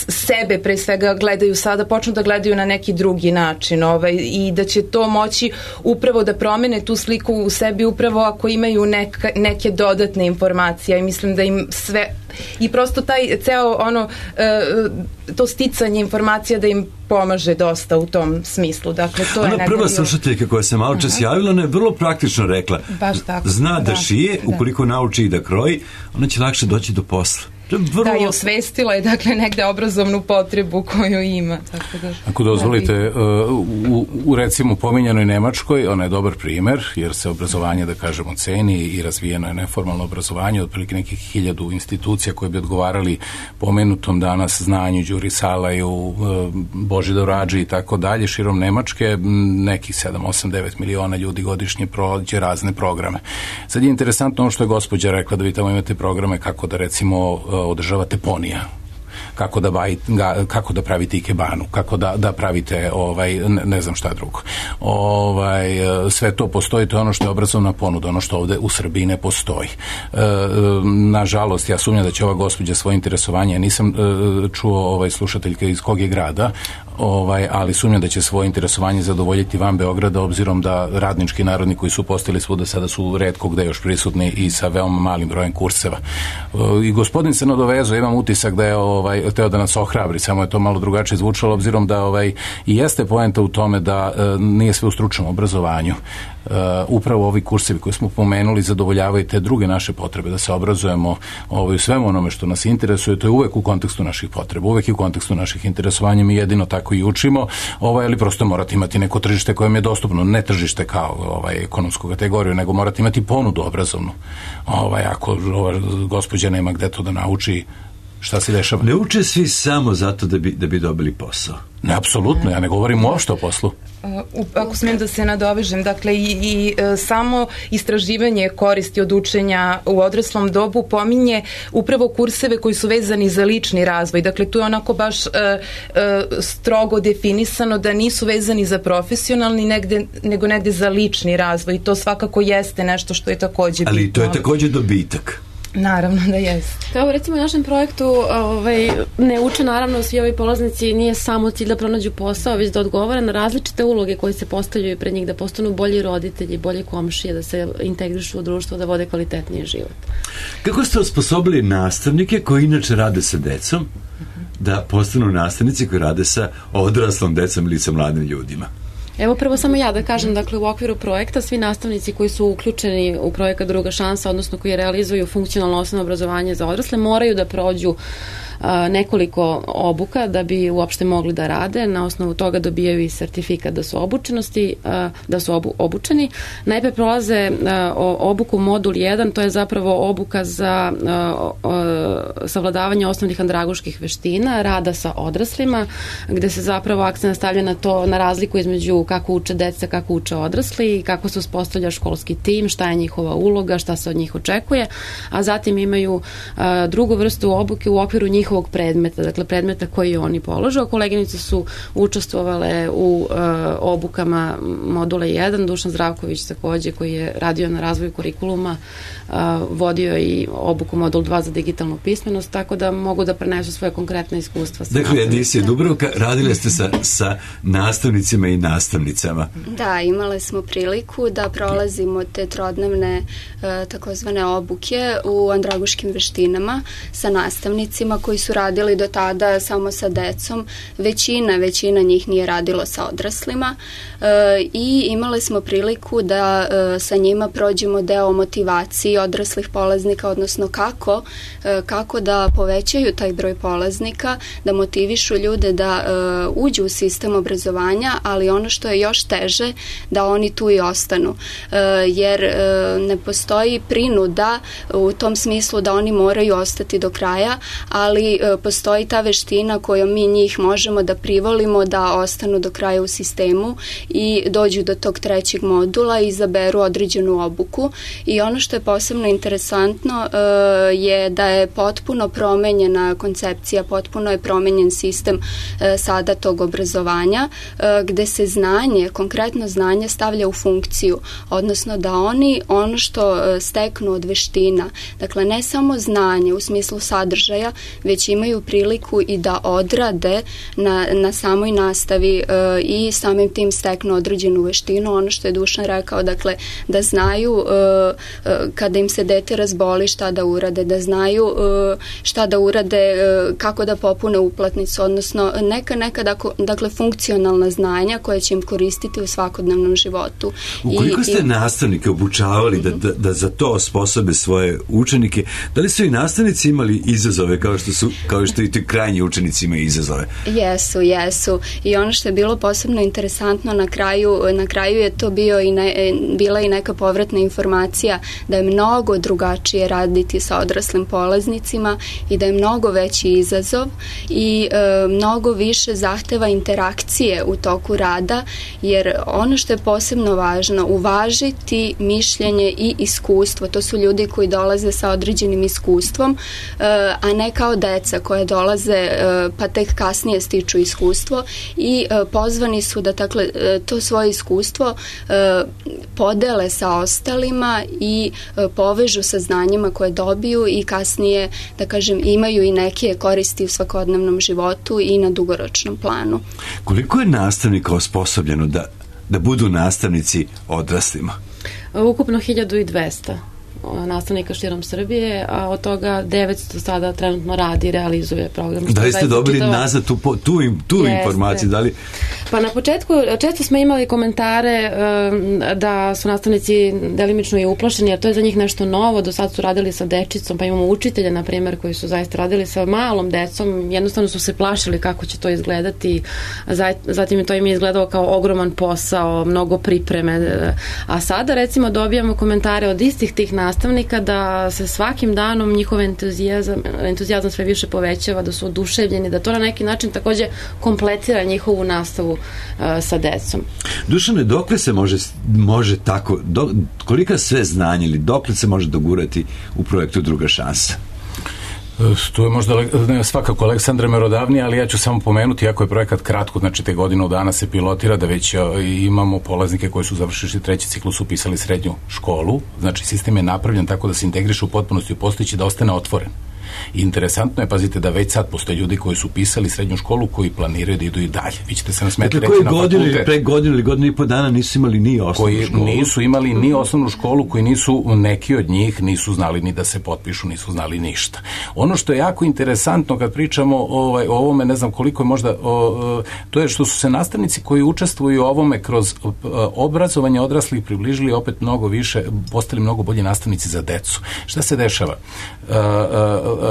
S4: sebe pre svega gledaju sada, počnu da gledaju na neki drugi način i da će to moći upravo da promene tu sliku u sebi upravo ako imaju neke dodatne informacije i mislim da im sve i prosto taj ceo to sticanje informacija da im pomaže dosta u tom smislu. Dakle, to je
S1: prva slušateljka koja se malo čas javila, ona je vrlo praktično rekla, zna da šije, ukoliko nauči i da kroji, ona će lakše doći do posla.
S4: Da, i osvestila je dakle negde obrazovnu potrebu koju ima.
S3: Ako dozvolite, u recimo pominjanoj Nemačkoj, ona je dobar primer, jer se obrazovanje, da kažemo, ceni i razvijeno je neformalno obrazovanje, otprilike nekih 1000 institucija koje bi odgovarali pomenutom danas znanju Đuri Salaju, Božidaru Radži i tako dalje, širom Nemačke, nekih 7, 8, 9 miliona ljudi godišnje prođe razne programe. Sad je interesantno ono što je gospođa rekla, da vi tamo imate programe kako da recimo održavate ponija, kako da pravite ikebanu, kako da pravite ne znam šta drugo. Sve to postoji, to je ono što je obrazovna ponuda, ono što ovde u Srbiji ne postoji. Nažalost, ja sumnjam da će ova gospođa svoje interesovanje, nisam čuo slušateljka iz kog je grada, ali sumnjam da će svoje interesovanje zadovoljiti van Beograda, obzirom da radnički narodni koji su postali svuda sada su retko gde još prisutni i sa veoma malim brojem kurseva. I gospodin se nadovezao, imam utisak da je hteo da nas ohrabri, samo je to malo drugačije zvučalo, obzirom da i jeste poenta u tome da nije sve u stručnom obrazovanju. Upravo ovi kursevi koje smo pomenuli zadovoljavaju te druge naše potrebe, da se obrazujemo u svemu onome što nas interesuje, to je uvek u kontekstu naših potreba, uvek i u kontekstu naših interesovanja, mi jedino tako i učimo, ali prosto morate imati neko tržište koje je dostupno, ne tržište kao ekonomsku kategoriju, nego morate imati ponudu obrazovnu. Ako gospođa nema gde to da nauči, šta se dešava?
S1: Ne uče svi samo zato da bi dobili posao.
S3: Ne, apsolutno, ja ne govorim uopšte o poslu.
S4: Ako smijem da se nadovežem, dakle i samo istraživanje koristi od učenja u odraslom dobu pominje upravo kurseve koji su vezani za lični razvoj. Dakle, tu je onako baš strogo definisano da nisu vezani za profesionalni nego negde za lični razvoj i to svakako jeste nešto što je takođe bitno.
S1: Ali to je takođe dobitak.
S4: Naravno da jeste.
S2: Kao recimo u našem projektu ne uče naravno svi ovi polaznici, nije samo cilj da pronađu posao, već da odgovara na različite uloge koje se postavljaju pred njih, da postanu bolji roditelji, bolji komšije, da se integrišu u društvo, da vode kvalitetniji život.
S1: Kako ste osposobili nastavnike koji inače rade sa decom da postanu nastavnici koji rade sa odraslom decom ili sa mladim ljudima?
S2: Evo prvo samo ja da kažem, dakle u okviru projekta svi nastavnici koji su uključeni u projekat Druga šansa, odnosno koji realizuju funkcionalno osnovno obrazovanje za odrasle, moraju da prođu nekoliko obuka da bi uopšte mogli da rade. Na osnovu toga dobijaju i sertifikat da su obučeni. Najpre prolaze obuku modul 1, to je zapravo obuka za savladavanje osnovnih andragoških veština, rada sa odraslima, gde se zapravo akcent stavlja na to, na razliku između kako uče deca, kako uče odrasli, kako se uspostavlja školski tim, šta je njihova uloga, šta se od njih očekuje, a zatim imaju drugu vrstu obuke u okviru njihovog predmeta, dakle predmeta koji oni položu, a koleginice su učestvovale u obukama modula 1, Dušan Zdravković takođe koji je radio na razvoju kurikuluma, vodio i obuku modul 2 za digitalnu pismenost, tako da mogu da prenesu svoje konkretne iskustva.
S1: Dakle, Edisija Dubrovka, radile ste sa nastavnicima i nastavnicama.
S5: Da, imale smo priliku da prolazimo te trodnevne takozvane obuke u andragoškim veštinama sa nastavnicima koji su radili do tada samo sa decom. Većina njih nije radilo sa odraslima i imale smo priliku da sa njima prođemo deo motivacije odraslih polaznika, odnosno kako da povećaju taj broj polaznika, da motivišu ljude da uđu u sistem obrazovanja, ali ono što je još teže, da oni tu i ostanu. Jer ne postoji prinuda u tom smislu da oni moraju ostati do kraja, ali postoji ta veština kojom mi njih možemo da privolimo da ostanu do kraja u sistemu i dođu do tog trećeg modula i izaberu određenu obuku. I ono što je posebno interesantno je da je potpuno promenjena koncepcija, potpuno je promenjen sistem sada tog obrazovanja, gde se konkretno znanje stavlja u funkciju, odnosno da oni ono što steknu od veština, dakle ne samo znanje u smislu sadržaja, već imaju priliku i da odrade na samoj nastavi i samim tim steknu određenu veštinu. Ono što je Dušan rekao, dakle da znaju kada im se dete razboli šta da urade, da znaju šta da urade, kako da popune uplatnicu, odnosno neka dakle funkcionalna znanja koja će im koristiti u svakodnevnom životu.
S1: Ukoliko ste nastavnike obučavali da za to osposobe svoje učenike, da li su i nastavnici imali izazove kao što i ti krajnji učenici imaju izazove?
S5: Jesu. I ono što je bilo posebno interesantno na kraju je to bila i neka povratna informacija da je mnogo drugačije raditi sa odraslim polaznicima i da je mnogo veći izazov i mnogo više zahteva interakcije u toku rada jer ono što je posebno važno, uvažiti mišljenje i iskustvo. To su ljudi koji dolaze sa određenim iskustvom, a ne kao deca koje dolaze pa tek kasnije stiču iskustvo i pozvani su da to svoje iskustvo podele sa ostalima i povežu sa znanjima koje dobiju i kasnije, da kažem, imaju i neke koristi u svakodnevnom životu i na dugoročnom planu.
S1: Koliko je nastavnika osposobljeno da budu nastavnici odraslima?
S2: Ukupno 1200 nastavnika širom Srbije, a od toga 900 sada trenutno radi i realizuje program.
S1: Da li ste dobili nazad tu informaciju? Da li...
S2: Pa na početku često smo imali komentare da su nastavnici delimično i uplašeni, jer to je za njih nešto novo. Do sad su radili sa dečicom, pa imamo učitelje, na primjer, koji su zaista radili sa malom decom. Jednostavno su se plašili kako će to izgledati. Zatim to im je izgledalo kao ogroman posao, mnogo pripreme. A sada, recimo, dobijamo komentare od istih tih nastavnika da se svakim danom njihov entuzijazam sve više povećava, da su oduševljeni, da to na neki način takođe kompletira njihovu nastavu sa decom.
S1: Dušane, dokle se može tako, kolika sve znanje ili dokle se može dogurati u projektu Druga šansa?
S3: To je možda svakako Aleksandra merodavnije, ali ja ću samo pomenuti, iako je projekat kratko, znači te godinu dana se pilotira, da već imamo polaznike koji su završili treći ciklus, upisali srednju školu, znači sistem je napravljen tako da se integriše u potpunosti u postojeći, da ostane otvoren. I interesantno je, pazite, da već sad postoje ljudi koji su upisali srednju školu, koji planiraju da idu i dalje. Vi ćete se nasmeti reći na fakultet.
S1: Pre godinu ili godinu i po dana nisu imali ni osnovnu školu.
S3: Koji nisu imali ni osnovnu školu, koji nisu, neki od njih nisu znali ni da se potpišu, nisu znali ništa. Ono što je jako interesantno kad pričamo o ovome, ne znam koliko je možda, to je što su se nastavnici koji učestvuju u ovome kroz obrazovanje odraslih približili opet mnogo više, postali mnogo bolji nastavnici za decu. Šta se dešava?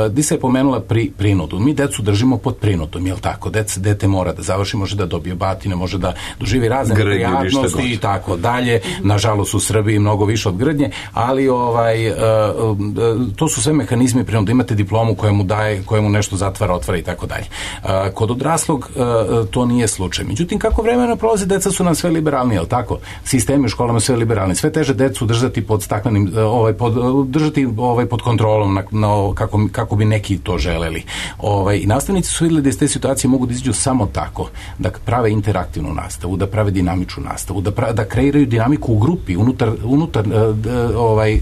S3: Disa je pomenula prinudu. Mi decu držimo pod prinudom, jel tako? Dete mora da završi, može da dobije batine, može da doživi razne prijatnosti i tako dalje. Nažalost u Srbiji mnogo više od grdnje, ali to su sve mehanizmi prinude. Imate diplomu koja mu nešto zatvara, otvara i tako dalje. Kod odraslog to nije slučaj. Međutim, kako vremena prolazi, deca su nam sve liberalni, jel tako? Sistemi u školama sve liberalni. Sve teže decu držati pod staklenim, držati pod kontrolom kako bi neki to želeli. I nastavnici su vidjeli da iz te situacije mogu da izađu samo tako, da prave interaktivnu nastavu, da prave dinamičnu nastavu, da kreiraju dinamiku u grupi, unutar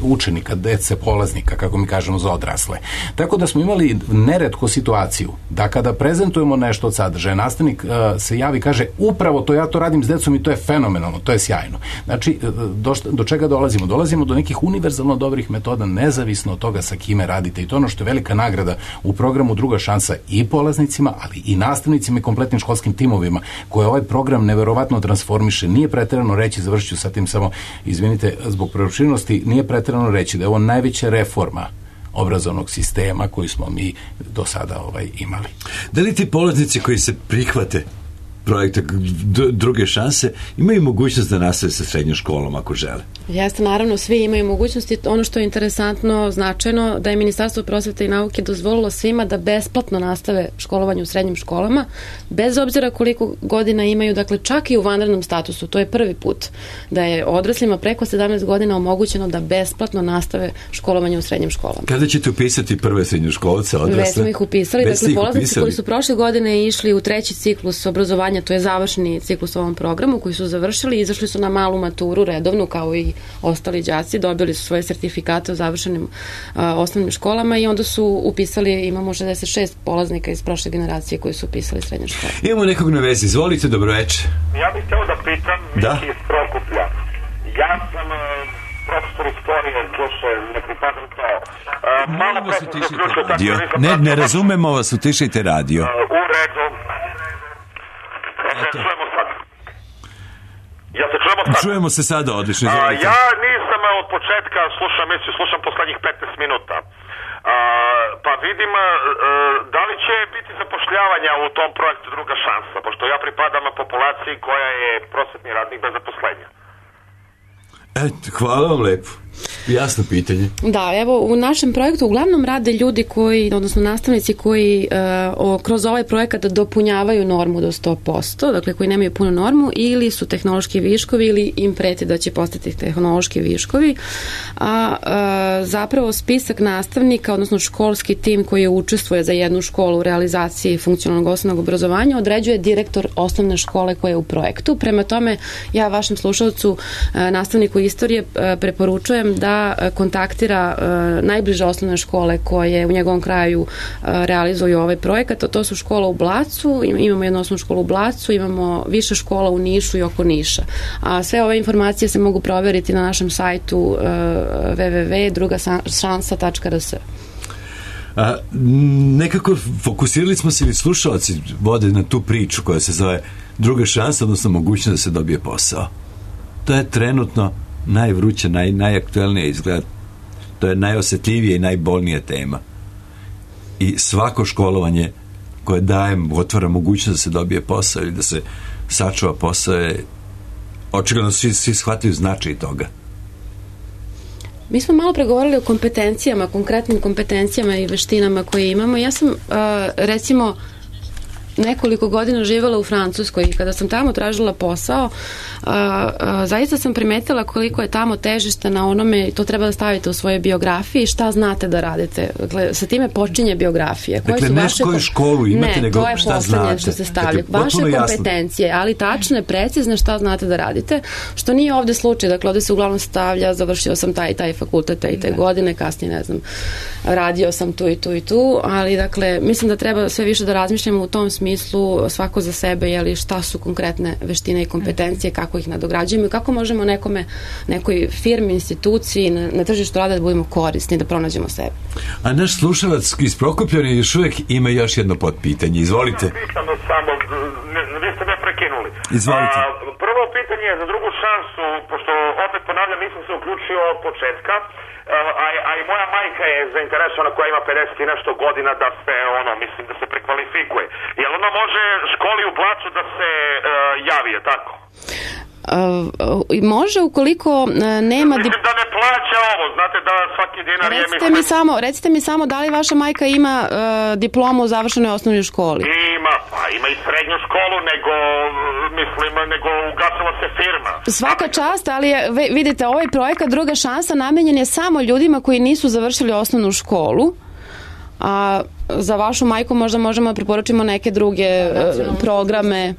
S3: učenika, dece, polaznika, kako mi kažemo, za odrasle. Tako da smo imali neretko situaciju da kada prezentujemo nešto od sadržaja, nastavnik se javi i kaže, upravo ja to radim s decom i to je fenomenalno, to je sjajno. Znači, do čega dolazimo? Dolazimo do nekih univerzalno dobrih metoda, nezavisno od toga sa kime radite, i to ono što je velika nagrada u programu Druga šansa i polaznicima, ali i nastavnicima i kompletnim školskim timovima, koje ovaj program neverovatno transformiše. Nije preterano reći, završit ću sa tim samo, izvinite, zbog preopširnosti, nije preterano reći da je ovo najveća reforma obrazovnog sistema koji smo mi do sada imali.
S1: Da li ti polaznici koji se prihvate projekta Druge šanse imaju mogućnost da nastave sa srednjom školom ako žele?
S2: Jeste, naravno, svi imaju mogućnosti. Ono što je interesantno, značajno, da je Ministarstvo prosvete i nauke dozvolilo svima da besplatno nastave školovanje u srednjim školama, bez obzira koliko godina imaju, dakle čak i u vanrednom statusu. To je prvi put da je odraslima preko 17 godina omogućeno da besplatno nastave školovanje u srednjim školama.
S1: Kada ćete upisati prve srednjoškolce odrasle?
S2: Već smo ih upisali. Dakle, polaznici koji su prošle godine išli u treći ciklus obrazovanja, to je završni ciklus u ovom programu, koji su završili, izašli su na malu maturu redovnu kao i ostali đaci, dobili su svoje sertifikate o završenim osnovnim školama i onda su upisali, imamo 66 polaznika iz prošle generacije koji su upisali srednje škole.
S1: Imamo nekog na vezi, izvolite, dobroveče.
S18: Ja bih htio da pitam Miki iz Prokuplja. Ja sam profesor istorije, duše, ne pripadam to. Malo pre sam zaključio
S1: radio. Ne razumemo vas, utišajte radio.
S18: U redu. Čujemo sad. Ja se čujemo sad.
S1: Čujemo se sada, odlično.
S18: Ja nisam od početka slušam poslednjih 15 minuta. Pa vidim da li će biti zapošljavanja u tom projektu Druga šansa, pošto ja pripadam populaciji koja je prosvetni radnik bez zaposlenja.
S1: Hvala vam lepo. Jasno pitanje.
S2: Da, evo u našem projektu uglavnom rade ljudi koji, odnosno nastavnici koji kroz ovaj projekat dopunjavaju normu do 100%, dakle koji nemaju punu normu ili su tehnološki viškovi ili im preti da će postati tehnološki viškovi. Zapravo spisak nastavnika, odnosno školski tim koji učestvuje za jednu školu u realizaciji funkcionalnog osnovnog obrazovanja određuje direktor osnovne škole koja je u projektu. Prema tome, ja vašem slušalcu, nastavniku istorije, preporučujem da kontaktira najbliže osnovne škole koje u njegovom kraju realizuju ovaj projekat. To su škola u Blacu, imamo jednu osnovnu školu u Blacu, imamo više škola u Nišu i oko Niša. A sve ove informacije se mogu proveriti na našem sajtu www.drugašansa.rs.
S1: Nekako fokusirali smo se ili slušalci vode na tu priču koja se zove druga šansa, odnosno mogućnost da se dobije posao. To je trenutno najvruća, najaktuelnija izgled. To je najosjetljivija i najbolnija tema. I svako školovanje koje daje, otvara mogućnost da se dobije posao ili da se sačuva posao je očigledno svi shvataju značaj toga.
S2: Mi smo malo pregovorili o kompetencijama, konkretnim kompetencijama i veštinama koje imamo. Ja sam, recimo, nekoliko godina živjela u Francuskoj i kada sam tamo tražila posao, zaista sam primetila koliko je tamo težište na onome, to treba da stavite u svojoj biografiji, šta znate da radite. Dakle, sa time počinje biografija.
S1: Dakle, ne koju školu imate, nego šta znate. Ne, to je poslednje
S2: što se stavlja. Vaše kompetencije, ali tačne, precizne šta znate da radite, što nije ovde slučaj. Dakle, ovde se uglavnom stavlja, završio sam taj fakultet, te godine, kasnije, ne znam, radio sam tu i tu, ali, dakle, mislim da treba sve više da razmišljamo u tom smislu svako za sebe, jeli, šta su konkretne veštine i kompetencije, kako ih nadograđujemo i kako možemo nekoj firmi, instituciji na tržištu rada da budemo korisni, da pronađemo sebe.
S1: A naš slušalac iz Prokopljana još uvijek ima još jedno potpitanje. Izvolite.
S18: Samo, vi ste me prekinuli.
S1: Izvolite.
S18: Prvo pitanje je za drugu šansu, pošto opet ponavljam, nisam se uključio od početka, a i moja majka je zainteresovana koja ima 50 i nešto godina da se, mislim da se prekvalifikuje. Jel ona može školi u Blacu da se javi, je tako?
S2: Može ukoliko nema...
S18: Mislim da ne plaća ovo, znate da svaki dinar je...
S2: Recite mi samo da li vaša majka ima diplomu u završenoj osnovnoj školi?
S18: Ima i srednju školu, nego ugasila se firma.
S2: Svaka čast, ali vidite, ovaj projekat Druga šansa namenjen je samo ljudima koji nisu završili osnovnu školu, a za vašu majku možda možemo da preporučimo neke druge programe.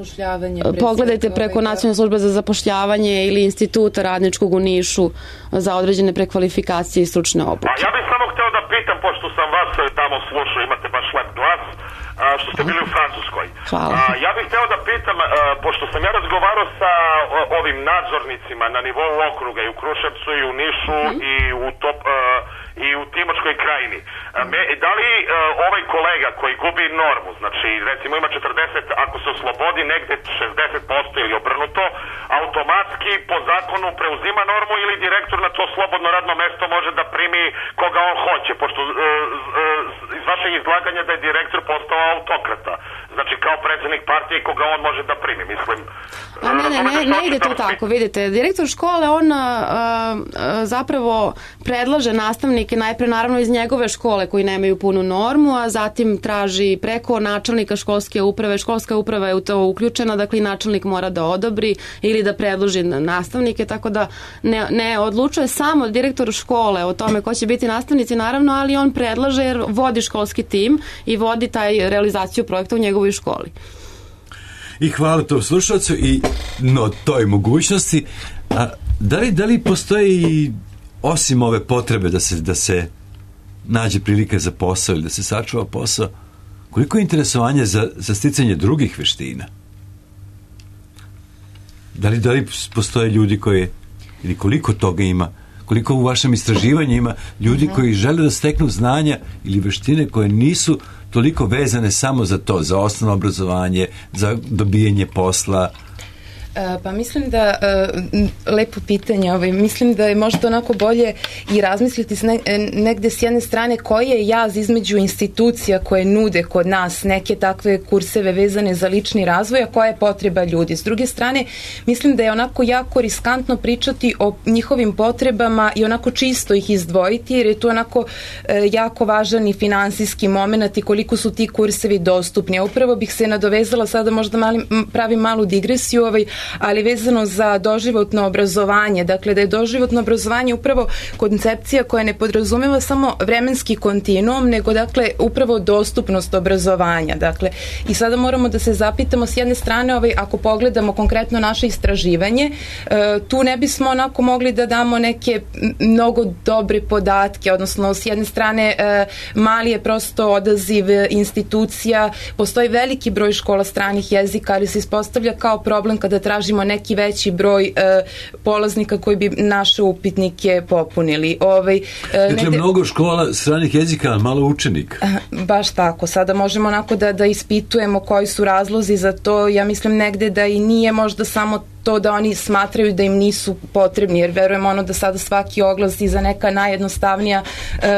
S2: Pogledajte preko Nacionalne službe za zapošljavanje ili Instituta radničkog u Nišu za određene prekvalifikacije i stručne obuke.
S18: Ja bih samo hteo da pitam, pošto sam vas tamo slušao, imate baš lep glas, što ste bili u Francuskoj. Ja bih hteo da pitam, pošto sam ja razgovarao sa ovim nadzornicima na nivou okruga i u Kruševcu i u Nišu i u Timočkoj krajini. Da li ovaj kolega koji gubi normu, znači recimo ima 40, ako se oslobodi negde 60% ili obrnuto, automatski po zakonu preuzima normu ili direktor na to slobodno radno mesto može da primi koga on hoće, pošto iz vašeg izlaganja da je direktor postao autokrata. Znači kao predsjednik partije koga on može da primi, mislim.
S2: Ne ide to tako, vidite. Direktor škole, on zapravo predlaže nastavnike najpre naravno iz njegove škole koji nemaju punu normu, a zatim traži preko načelnika školske uprave. Školska uprava je u to uključena, dakle i načelnik mora da odobri ili da predloži nastavnike, tako da ne odlučuje samo direktor škole o tome ko će biti nastavnici, naravno, ali on predlaže jer vodi školski tim i vodi taj realizaciju projekta u njegovoj školi.
S1: I hvala tom slušalcu i toj mogućnosti. Da li postoji osim ove potrebe da se nađe prilika za posao ili da se sačuva posao, koliko je interesovanje za sticanje drugih veština? Da li postoje ljudi koji, ili koliko toga ima, koliko u vašem istraživanju ima ljudi koji žele da steknu znanja ili veštine koje nisu toliko vezane samo za to, za osnovno obrazovanje, za dobijanje posla?
S4: Pa mislim da, lepo pitanje, mislim da je možda onako bolje i razmisliti negde s jedne strane koji je jaz između institucija koje nude kod nas neke takve kurseve vezane za lični razvoj, a koja je potreba ljudi. S druge strane, mislim da je onako jako riskantno pričati o njihovim potrebama i onako čisto ih izdvojiti, jer je tu onako jako važan i finansijski moment i koliko su ti kursevi dostupni. Upravo bih se nadovezala, sada možda pravim malu digresiju, ali vezano za doživotno obrazovanje. Dakle, da je doživotno obrazovanje upravo koncepcija koja ne podrazumeva samo vremenski kontinuum, nego dakle upravo dostupnost obrazovanja. Dakle, i sada moramo da se zapitamo s jedne strane, ako pogledamo konkretno naše istraživanje, tu ne bismo onako mogli da damo neke mnogo dobre podatke, odnosno s jedne strane mali je prosto odaziv institucija, postoji veliki broj škola stranih jezika, ali se ispostavlja kao problem kada tražimo neki veći broj polaznika koji bi naše upitnike popunili.
S1: Dakle, mnogo škola stranih jezika, a malo učenika.
S4: Baš tako. Sada možemo onako da ispitujemo koji su razlozi za to. Ja mislim negde da i nije možda samo to da oni smatraju da im nisu potrebni, jer verujemo da sada svaki oglas i za neka najjednostavnija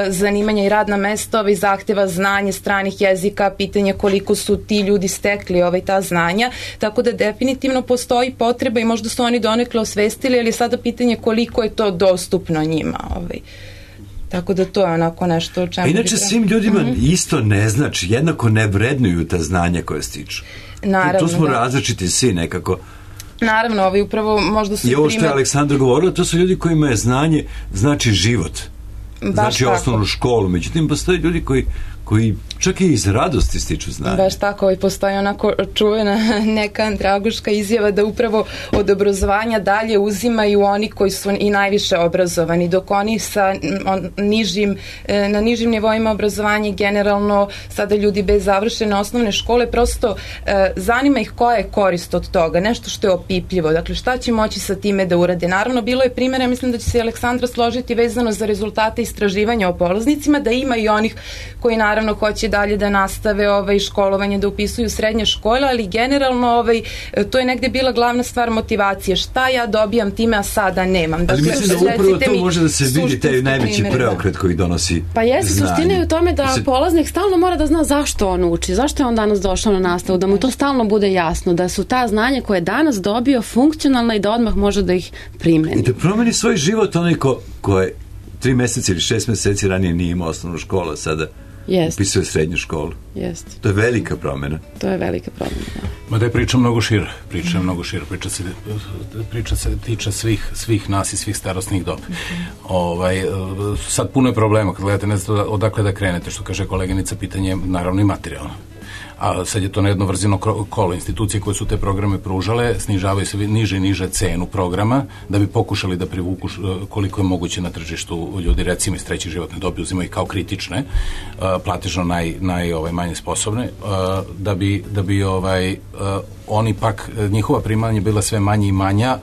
S4: zanimanja i radna mesta zahteva znanje stranih jezika, pitanje koliko su ti ljudi stekli ta znanja, tako da definitivno postoji potreba i možda su oni donekle osvestili, ali sada pitanje koliko je to dostupno njima. Tako da to je onako nešto o čemu...
S1: A inače svim ljudima isto ne znači, jednako ne vrednuju ta znanja koje stiču.
S4: Naravno,
S1: tu smo različiti svi nekako.
S4: Naravno, upravo možda su...
S1: I ovo što je Aleksandra govorila, to su ljudi kojima je znanje znači život. Znači osnovnu školu. Međutim, postoje ljudi koji čak i iz radosti stiču znanje.
S4: Baš tako, i postoji onako čuvena neka andragoška izjava da upravo od obrazovanja dalje uzimaju oni koji su i najviše obrazovani, dok oni na nižim nivoima obrazovanja generalno sada ljudi bez završene osnovne škole, prosto zanima ih koja je korist od toga, nešto što je opipljivo, dakle šta će moći sa time da urade. Naravno, bilo je primjera, mislim da će se Aleksandra složiti vezano za rezultate istraživanja o polaznicima, da ima i onih koji naravno hoće dalje da nastave školovanje, da upisuju srednje škole, ali generalno to je negde bila glavna stvar motivacije. Šta ja dobijam time, a sada nemam.
S1: Ali mislim da upravo to može da se vidi taj najveći preokret koji donosi znanje.
S2: Pa jeste, suština je u tome da polaznik stalno mora da zna zašto on uči, zašto je on danas došao na nastavu, da mu to stalno bude jasno, da su ta znanja koje je danas dobio funkcionalna i da odmah može da ih primeni.
S1: I da promeni svoj život onaj ko je 3 meseca ili 6 meseci ranije nije imao osnovnu školu, sada upisuje srednju školu. To je velika promjena.
S2: To je velika promjena, da.
S3: Ma da je priča mnogo šira. Priča se tiče svih nas i svih starosnih doba. Sad puno je problema kad gledate, ne znate odakle da krenete, što kaže koleginica, pitanje je naravno i materijalno. A sad je to na jedno vrzino kolo. Institucije koje su te programe pružale snižavaju se niže i niže cenu programa da bi pokušali da privuku koliko je moguće na tržištu ljudi, recimo iz treće životne dobi, uzimaju kao kritične, platežno najmanje sposobne, da bi oni pak, njihova primanja bila sve manje i manja,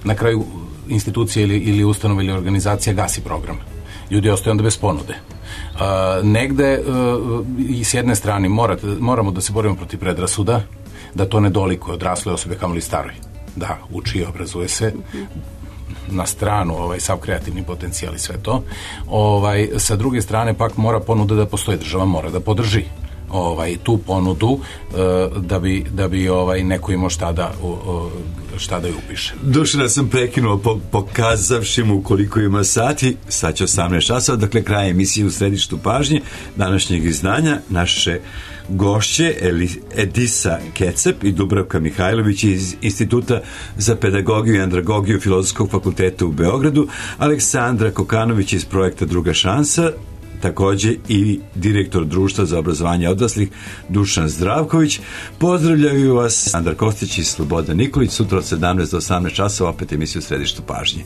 S3: na kraju institucije ili ustanove ili organizacija gasi program. Ljudi ostaju onda bez ponude. Negde i s jedne strane moramo da se borimo protiv predrasuda, da to ne dolikuje odrasle osobe kamoli staroj. Da, uči i obrazuje se, na stranu sav kreativni potencijal i sve to. Sa druge strane pak mora ponuda da postoji, država mora da podrži tu ponudu da bi neko imao šta da ju upiše.
S1: Dušana sam prekinuo pokazavši mu koliko ima sati, sad će 18 časova, dakle kraj emisije U središtu pažnje današnjeg izdanja. Naše gošće Edisa Kecep i Dubravka Mihajlović iz Instituta za pedagogiju i andragogiju Filozofskog fakulteta u Beogradu, Aleksandra Kokanović iz projekta Druga šansa, takođe i direktor Društva za obrazovanje odraslih Dušan Zdravković. Pozdravljaju vas Andar Kostić i Slobodan Nikolić. Sutra od 17 do 18 časova opet emisiju U središtu pažnje.